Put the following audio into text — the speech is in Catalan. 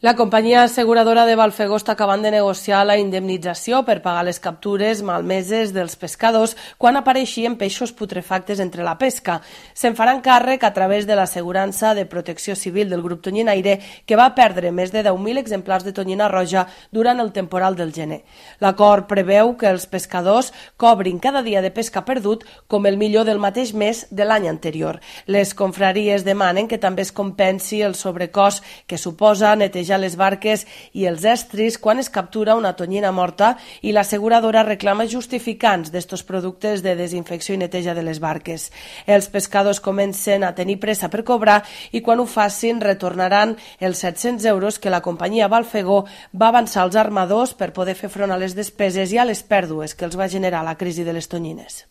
La companyia asseguradora de Valfegó està acabant de negociar la indemnització per pagar les captures malmeses dels pescadors quan apareixien peixos putrefactes entre la pesca. Se'n faran càrrec a través de l'assegurança de protecció civil del grup tonyinaire, que va perdre més de 10.000 exemplars de tonyina roja durant el temporal del gener. L'acord preveu que els pescadors cobrin cada dia de pesca perdut com el millor del mateix mes de l'any anterior. Les confraries demanen que també es compensi el sobrecost que suposa netejar les barques i els estris quan es captura una tonyina morta, i l'asseguradora reclama justificants d'estos productes de desinfecció i neteja de les barques. Els pescadors comencen a tenir pressa per cobrar i quan ho facin retornaran els 700 euros que la companyia Valfegó va avançar als armadors per poder fer front a les despeses i a les pèrdues que els va generar la crisi de les tonyines.